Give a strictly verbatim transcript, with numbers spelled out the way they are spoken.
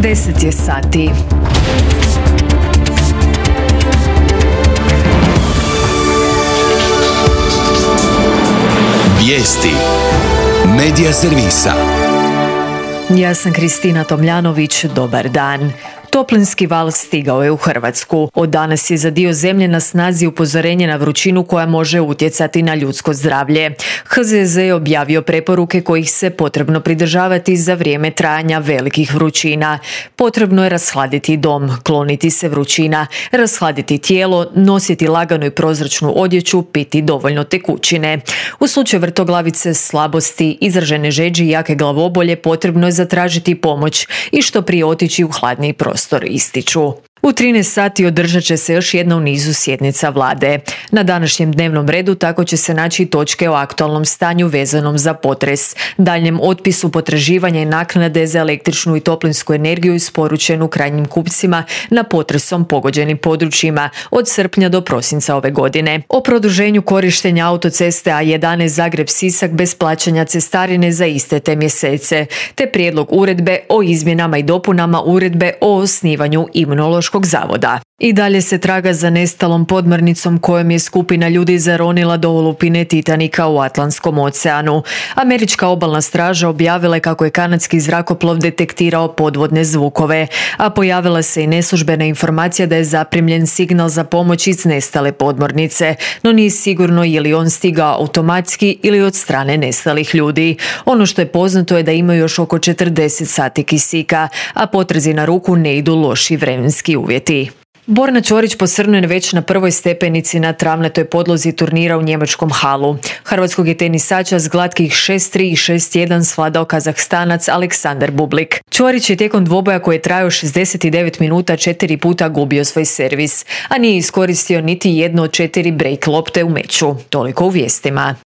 deset je sati. Vijesti Medija servisa. Ja sam Kristina Tomljanović, dobar dan. Toplinski val stigao je u Hrvatsku. Od danas je za dio zemlje na snazi upozorenje na vrućinu koja može utjecati na ljudsko zdravlje. H Z Z je objavio preporuke kojih se potrebno pridržavati za vrijeme trajanja velikih vrućina. Potrebno je rashladiti dom, kloniti se vrućina, rashladiti tijelo, nositi laganu i prozračnu odjeću, piti dovoljno tekućine. U slučaju vrtoglavice, slabosti, izražene žeđi i jake glavobolje potrebno je zatražiti pomoć i što prije otići u hladniji prostor, ističu. U trinaest sati održat će se još jedna u nizu sjednica vlade. Na današnjem dnevnom redu tako će se naći točke o aktualnom stanju vezanom za potres, daljnjem otpisu potraživanja i naknade za električnu i toplinsku energiju isporučenu krajnjim kupcima na potresom pogođenim područjima od srpnja do prosinca ove godine, o produženju korištenja autoceste A jedanaest Zagreb-Sisak bez plaćanja cestarine za iste te mjesece, te prijedlog uredbe o izmjenama i dopunama uredbe o osnivanju Imunološkog zavoda. I dalje se traga za nestalom podmornicom kojom je skupina ljudi zaronila do olupine Titanika u Atlantskom oceanu. Američka obalna straža objavila je kako je kanadski zrakoplov detektirao podvodne zvukove, a pojavila se i neslužbena informacija da je zaprimljen signal za pomoć iz nestale podmornice, no nije sigurno je li on stigao automatski ili od strane nestalih ljudi. Ono što je poznato je da imaju još oko četrdeset sati kisika, a potrazi na ruku ne idu loši vremenski uvjeti. Borna Ćorić posrnuje već na prvoj stepenici na travnatoj podlozi turnira u njemačkom Halu. Hrvatskog je tenisača s glatkih šest tri i šest jedan svladao Kazahstanac Aleksandar Bublik. Ćorić je tijekom dvoboja koji je trajao šezdeset devet minuta četiri puta gubio svoj servis, a nije iskoristio niti jednu od četiri break lopte u meču. Toliko u vijestima.